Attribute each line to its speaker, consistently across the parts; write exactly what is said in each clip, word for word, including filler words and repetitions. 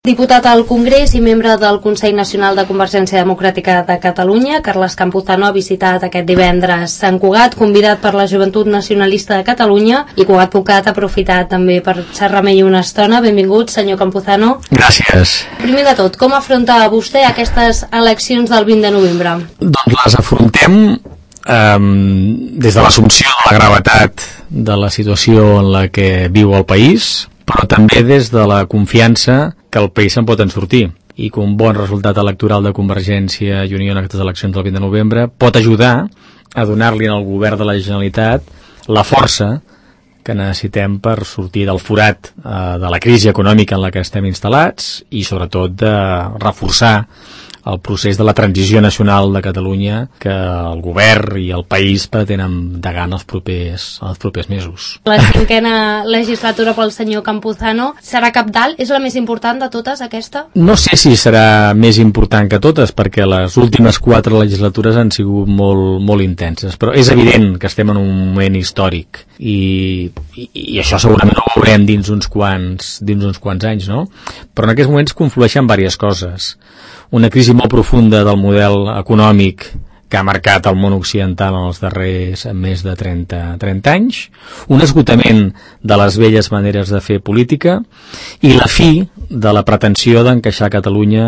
Speaker 1: Diputat al Congrés i membre del Consell Nacional de Convergència Democràtica de Catalunya, Carles Campuzano ha visitat aquest divendres Sant Cugat, convidat per la Joventut Nacionalista de Catalunya, i Cugat Pucat ha aprofitat també per xerrar amb ell una estona. Benvingut, senyor Campuzano.
Speaker 2: Gràcies.
Speaker 1: Primer de tot, com afronta vostè aquestes eleccions del vint de novembre?
Speaker 2: Doncs les afrontem um, des de l'assumpció de la gravetat de la situació en la que viu el país, però també des de la confiança que el país se'n pot en sortir, i que un bon resultat electoral de Convergència i Unió en aquestes eleccions del vint de novembre pot ajudar a donar-li al govern de la Generalitat la força que necessitem per sortir del forat eh, de la crisi econòmica en la que estem instal·lats, i sobretot de reforçar el procés de la transició nacional de Catalunya que el govern i el país pretenen endegar en els propers, en els propers mesos.
Speaker 1: La cinquena legislatura pel senyor Campuzano serà cabdal? És la més important de totes, aquesta?
Speaker 2: No sé si serà més important que totes, perquè les últimes quatre legislatures han sigut molt, molt intenses, però és evident que estem en un moment històric, i, i, i això segurament ho veurem dins uns quants, dins uns quants anys, no? Però en aquests moments conflueixen diverses coses. Una crisi molt profunda del model econòmic que ha marcat el món occidental en els darrers més de trenta, trenta anys, un esgotament de les velles maneres de fer política i la fi de la pretensió d'encaixar Catalunya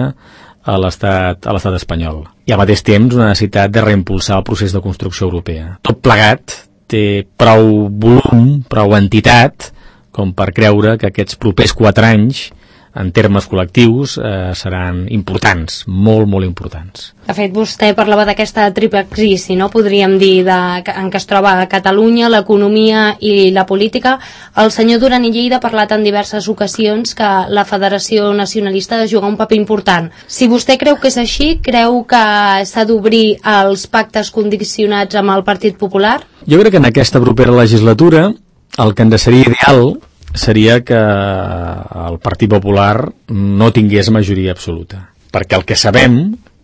Speaker 2: a l'estat a l'estat espanyol. I al mateix temps una necessitat de reimpulsar el procés de construcció europea. Tot plegat té prou volum, prou entitat, com per creure que aquests propers quatre anys en termes col·lectius eh, seran importants, molt, molt importants.
Speaker 1: De fet, vostè parlava d'aquesta triple crisi, no? Podríem dir, de, en què es troba a Catalunya, l'economia i la política. El senyor Duran i Lleida ha parlat en diverses ocasions que la Federació Nacionalista ha de jugar un paper important. Si vostè creu que és així, creu que s'ha d'obrir els pactes condicionats amb el Partit Popular?
Speaker 2: Jo crec que en aquesta propera legislatura el que ens seria ideal seria que el Partit Popular no tingués majoria absoluta, perquè el que sabem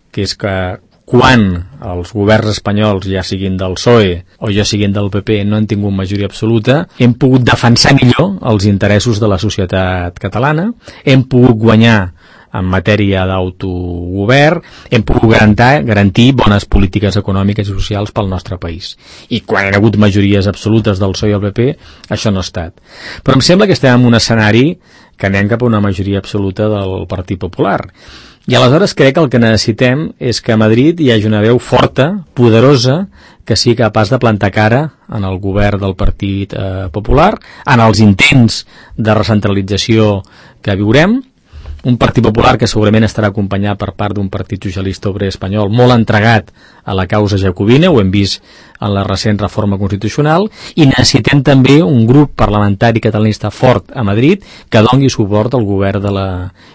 Speaker 2: que és que quan els governs espanyols, ja siguin del P S O E o ja siguin del P P, no han tingut majoria absoluta, hem pogut defensar millor els interessos de la societat catalana, hem pogut guanyar en matèria d'autogovern, hem pogut garantir, garantir bones polítiques econòmiques i socials pel nostre país. I quan hi ha hagut majories absolutes del P S O E i el P P, això no ha estat. Però em sembla que estem en un escenari que anem cap a una majoria absoluta del Partit Popular. I aleshores crec que el que necessitem és que a Madrid hi hagi una veu forta, poderosa, que sigui capaç de plantar cara en el govern del Partit eh, Popular, en els intents de recentralització que viurem, un Partit Popular que segurament estarà acompanyat per part d'un Partit Socialista Obrer Espanyol molt entregat a la causa jacobina, ho hem vist en la recent reforma constitucional, i necessitem també un grup parlamentari catalanista fort a Madrid que doni suport al govern de la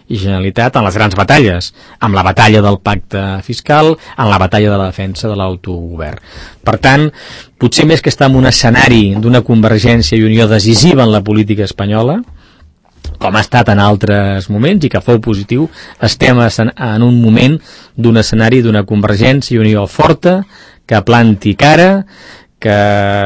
Speaker 2: Generalitat en les grans batalles, amb la batalla del pacte fiscal, en la batalla de la defensa de l'autogovern. Per tant, potser més que estar en un escenari d'una Convergència i Unió decisiva en la política espanyola, com ha estat en altres moments i que fou positiu, estem en un moment d'un escenari d'una Convergència i Unió forta, que planti cara, que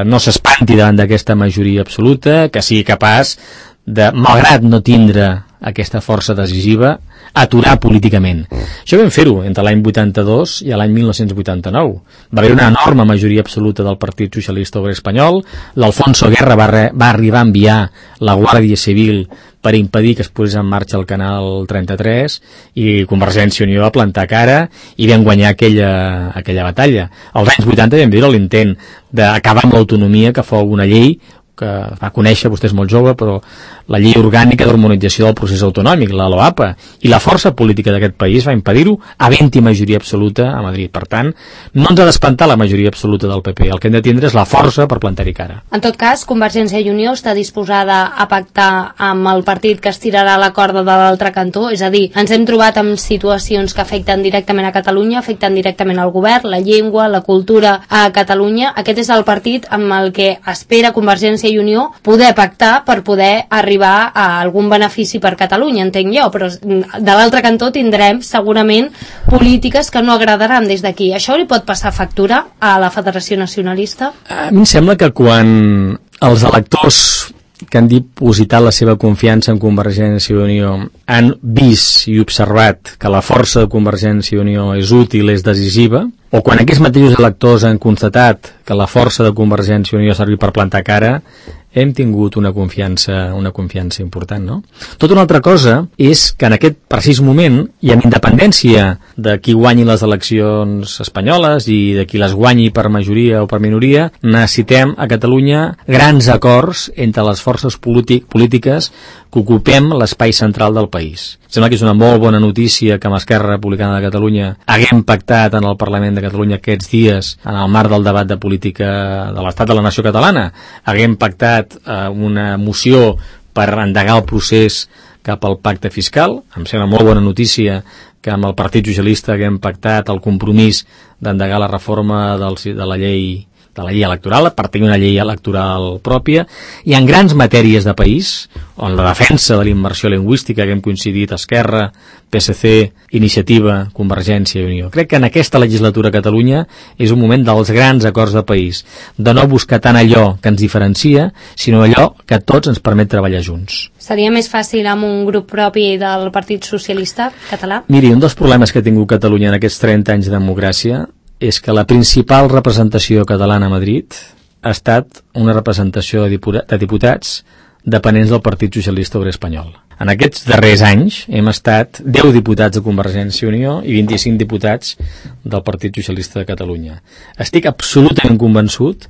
Speaker 2: no s'espanti davant d'aquesta majoria absoluta, que sigui capaç de, malgrat no tindre aquesta força decisiva, aturar políticament. Això vam fer-ho entre l'any vuitanta-dos i l'any mil nou-cents vuitanta-nou. Va haver una enorme majoria absoluta del Partit Socialista Obrer Espanyol. L'Alfonso Guerra va, re, va arribar a enviar la Guàrdia Civil per impedir que es posés en marxa el canal trenta-tres, i Convergència i Unió va plantar cara i vam guanyar aquella, aquella batalla. Als anys vuitanta vam veure l'intent d'acabar amb l'autonomia, que fou una llei que va conèixer, vostè és molt jove, però la llei orgànica d'harmonització del procés autonòmic, la LOAPA, i la força política d'aquest país va impedir-ho, havent-hi majoria absoluta a Madrid. Per tant, no ens ha d'espantar la majoria absoluta del P P, el que hem de tindre és la força per plantar-hi cara.
Speaker 1: En tot cas, Convergència i Unió està disposada a pactar amb el partit que estirarà la corda de l'altre cantó, és a dir, ens hem trobat amb situacions que afecten directament a Catalunya, afecten directament al govern, la llengua, la cultura a Catalunya. Aquest és el partit amb el que espera Convergència i Unió poder pactar per poder arribar a algun benefici per Catalunya, entenc jo, però de l'altre cantó tindrem segurament polítiques que no agradaran des d'aquí. Això li pot passar factura a la Federació Nacionalista?
Speaker 2: A mi em sembla que quan els electors que han dipositat la seva confiança en Convergència i Unió han vist i observat que la força de Convergència i Unió és útil, és decisiva, o quan aquests mateixos electors han constatat que la força de Convergència i Unió ha servit per plantar cara, hem tingut una confiança, una confiança important, no? Tota una altra cosa és que en aquest precís moment, i amb independència de qui guanyi les eleccions espanyoles i de qui les guanyi per majoria o per minoria, necessitem a Catalunya grans acords entre les forces polític, polítiques que ocupem l'espai central del país. Sembla que és una molt bona notícia que amb Esquerra Republicana de Catalunya haguem pactat en el Parlament de Catalunya aquests dies, en el marc del debat de política de l'Estat de la Nació Catalana, haguem pactat eh, una moció per endegar el procés cap al pacte fiscal. Em sembla molt bona notícia que amb el Partit Socialista haguem pactat el compromís d'endegar la reforma del, de la llei de la llei electoral, per tenir una llei electoral pròpia, i en grans matèries de país, on la defensa de la immersió lingüística que hem coincidit Esquerra, P S C, Iniciativa, Convergència i Unió. Crec que en aquesta legislatura a Catalunya és un moment dels grans acords de país, de no buscar tant allò que ens diferencia, sinó allò que a tots ens permet treballar junts.
Speaker 1: Seria més fàcil amb un grup propi del Partit Socialista català?
Speaker 2: Miri, un dels problemes que ha tingut Catalunya en aquests trenta anys de democràcia és que la principal representació catalana a Madrid ha estat una representació de diputats dependents del Partit Socialista Obrer Espanyol. En aquests darrers anys hem estat deu diputats de Convergència i Unió i vint-i-cinc diputats del Partit Socialista de Catalunya. Estic absolutament convençut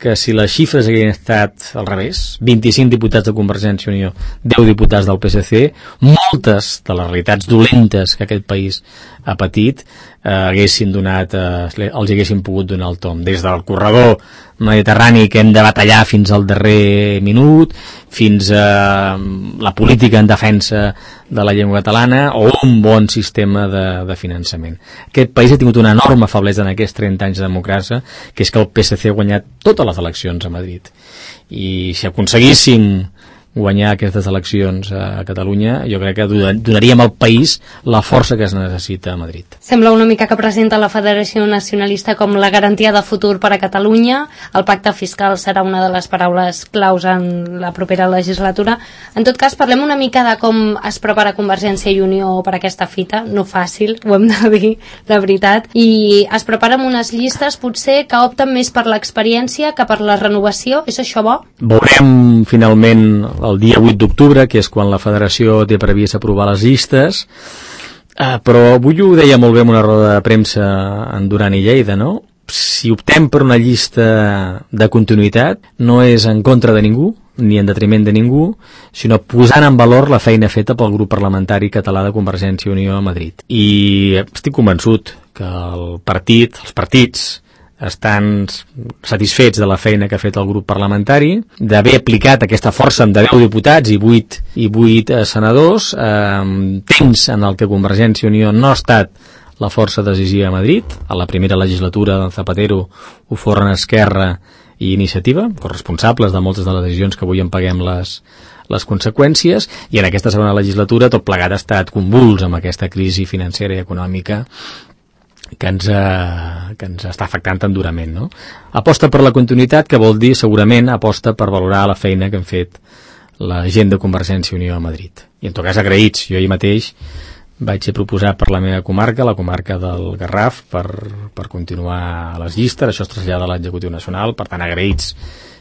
Speaker 2: que si les xifres haguessin estat al revés, vint-i-cinc diputats de Convergència i Unió, deu diputats del P S C, moltes de les realitats dolentes que aquest país ha patit eh, haguessin donat, eh, els haguessin pogut donar el tom. Des del corredor mediterrani que hem de batallar fins al darrer minut, fins a la política en defensa de la llengua catalana o un bon sistema de, de finançament. Aquest país ha tingut una enorme feblesa en aquests trenta anys de democràcia, que és que el P S C ha guanyat totes les eleccions a Madrid. I si aconseguíssim guanyar aquestes eleccions a Catalunya, jo crec que donaríem al país la força que es necessita a Madrid.
Speaker 1: Sembla una mica que presenta la Federació Nacionalista com la garantia de futur per a Catalunya. El pacte fiscal serà una de les paraules claus en la propera legislatura. En tot cas, parlem una mica de com es prepara Convergència i Unió per a aquesta fita. No fàcil, ho hem de dir, de veritat. I es prepara amb unes llistes, potser, que opten més per l'experiència que per la renovació. És això bo?
Speaker 2: Veurem, finalment, el dia vuit d'octubre, que és quan la Federació té previst aprovar les llistes, eh, però avui ho deia molt bé en una roda de premsa en Duran i Lleida, no? Si optem per una llista de continuïtat, no és en contra de ningú, ni en detriment de ningú, sinó posant en valor la feina feta pel grup parlamentari català de Convergència i Unió a Madrid. I estic convençut que el partit, els partits, estan satisfets de la feina que ha fet el grup parlamentari, d'haver aplicat aquesta força amb deu diputats i vuit, i vuit eh, senadors, eh, temps en el que Convergència i Unió no ha estat la força decisiva a Madrid. A la primera legislatura de Zapatero ho foren Esquerra i Iniciativa, corresponsables de moltes de les decisions que avui en paguem les, les conseqüències, i en aquesta segona legislatura tot plegat ha estat convuls amb aquesta crisi financera i econòmica que ens, eh, que ens està afectant tan durament, no? Aposta per la continuïtat, que vol dir segurament aposta per valorar la feina que han fet la gent de Convergència i Unió a Madrid. I en tot cas agraïts. Jo ahir mateix vaig ser proposat per la meva comarca, la comarca del Garraf, per, per continuar a les llistes. Això es trasllada a l'executiu nacional, per tant agraïts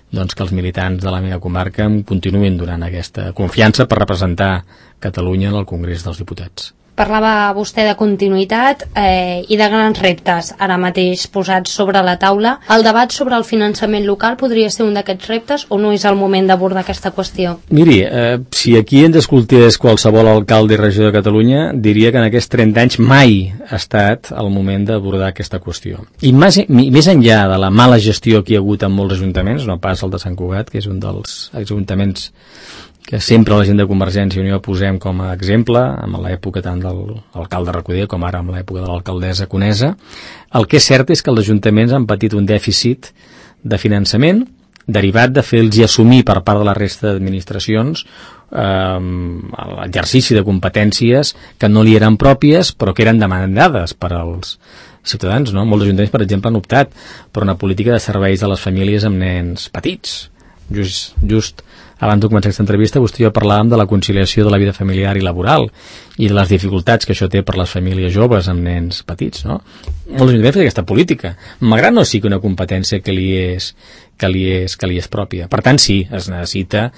Speaker 2: doncs, que els militants de la meva comarca em continuïn donant aquesta confiança per representar Catalunya en el Congrés dels Diputats.
Speaker 1: Parlava vostè de continuïtat eh, i de grans reptes ara mateix posats sobre la taula. El debat sobre el finançament local podria ser un d'aquests reptes o no és el moment d'abordar aquesta qüestió?
Speaker 2: Miri, eh, si aquí ens escoltés qualsevol alcalde i regidor de Catalunya, diria que en aquests trenta anys mai ha estat el moment d'abordar aquesta qüestió. I més, més enllà de la mala gestió que hi ha hagut en molts ajuntaments, no pas el de Sant Cugat, que és un dels ajuntaments que sempre la gent de Convergència i Unió posem com a exemple, amb l'època tant de l'alcalde Recoder com ara amb l'època de l'alcaldessa Conesa. El que és cert és que els ajuntaments han patit un dèficit de finançament derivat de fer-los assumir per part de la resta d'administracions eh, l'exercici de competències que no li eren pròpies però que eren demandades per als ciutadans, no? Molts ajuntaments, per exemple, han optat per una política de serveis a les famílies amb nens petits. Just, just abans de començar aquesta entrevista, vostè i jo parlàvem de la conciliació de la vida familiar i laboral i de les dificultats que això té per les famílies joves amb nens petits, no? Molts ajuntaments fan aquesta política, malgrat no sigui una competència que li és que li és, que li és pròpia. Per tant, sí, es necessita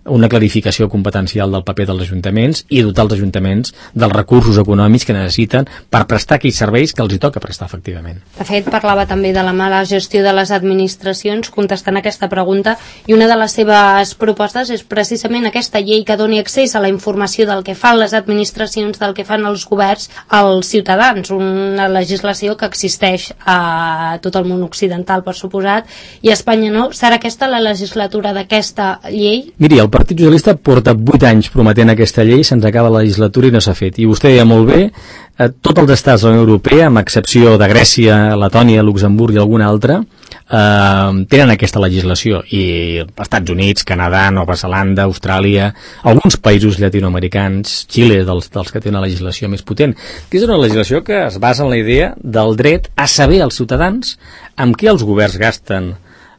Speaker 2: una clarificació competencial del paper dels ajuntaments i dotar els ajuntaments dels recursos econòmics que necessiten per prestar aquells serveis que els hi toca prestar efectivament.
Speaker 1: De fet, parlava també de la mala gestió de les administracions contestant aquesta pregunta, i una de les seves propostes és precisament aquesta llei que doni accés a la informació del que fan les administracions, del que fan els governs als ciutadans, una legislació que existeix a tot el món occidental, per suposat, i a Espanya no. Serà aquesta la legislatura d'aquesta llei?
Speaker 2: Miri, el Partit Socialista porta vuit anys prometent aquesta llei, se'ns acaba la legislatura i no s'ha fet. I vostè deia molt bé, eh, tots els estats de la Unió Europea, amb excepció de Grècia, Letònia, Luxemburg i algun altre, eh, tenen aquesta legislació. I Estats Units, Canadà, Nova Zelanda, Austràlia, alguns països llatinoamericans, Xile, dels, dels que tenen una legislació més potent, que és una legislació que es basa en la idea del dret a saber als ciutadans amb què els governs gasten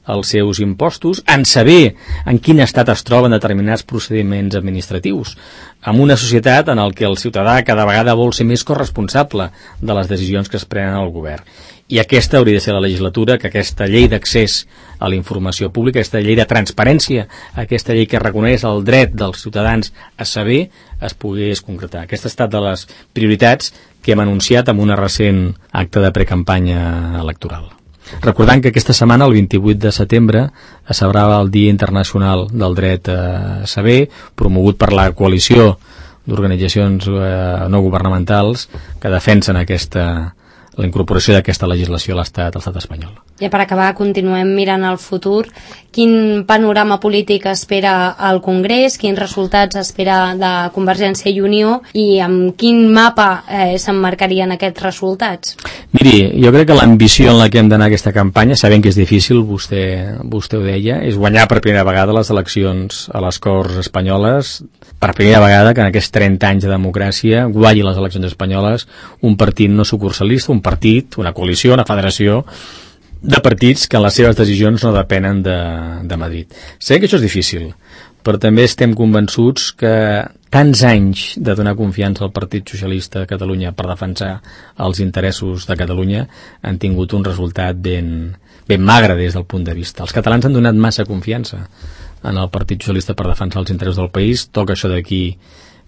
Speaker 2: els seus impostos, en saber en quin estat es troben determinats procediments administratius, en una societat en què el ciutadà cada vegada vol ser més corresponsable de les decisions que es prenen al govern. I aquesta hauria de ser la legislatura, que aquesta llei d'accés a la informació pública, aquesta llei de transparència, aquesta llei que reconeix el dret dels ciutadans a saber, es pogués concretar. Aquesta ha estat de les prioritats que hem anunciat en una recent acte de precampanya electoral. Recordant que aquesta setmana, el vint-i-vuit de setembre, es celebrava el Dia Internacional del Dret a Saber, promogut per la coalició d'organitzacions eh, no governamentals que defensen aquesta, la incorporació d'aquesta legislació a l'estat, a l'estat espanyol.
Speaker 1: I per acabar, continuem mirant al futur. Quin panorama polític espera el Congrés? Quins resultats espera de Convergència i Unió? I amb quin mapa eh, s'emmarcarien aquests resultats?
Speaker 2: Miri, jo crec que l'ambició en la que hem d'anar aquesta campanya, sabent que és difícil, vostè, vostè ho deia, és guanyar per primera vegada les eleccions a les Corts espanyoles, per primera vegada que en aquests trenta anys de democràcia guanyi les eleccions espanyoles un partit no sucursalista, un partit, una coalició, una federació de partits que en les seves decisions no depenen de, de Madrid. Sé que això és difícil, però també estem convençuts que tants anys de donar confiança al Partit Socialista de Catalunya per defensar els interessos de Catalunya han tingut un resultat ben, ben magre des del punt de vista. Els catalans han donat massa confiança en el Partit Socialista per defensar els interessos del país. Toca això d'aquí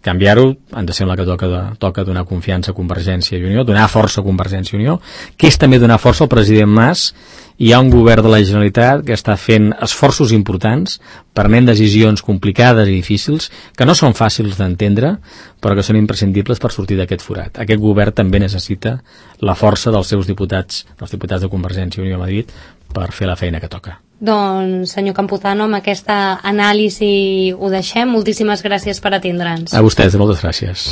Speaker 2: canviar-ho, ens sembla que toca, de, toca donar confiança a Convergència i Unió, donar força a Convergència i Unió, que és també donar força al president Mas. Hi ha un govern de la Generalitat que està fent esforços importants, prenent decisions complicades i difícils, que no són fàcils d'entendre, però que són imprescindibles per sortir d'aquest forat. Aquest govern també necessita la força dels seus diputats, dels diputats de Convergència i Unió a Madrid, per fer la feina que toca.
Speaker 1: Doncs, senyor Campuzano, amb aquesta anàlisi ho deixem. Moltíssimes gràcies per atendre'ns.
Speaker 2: A vostès, moltes gràcies.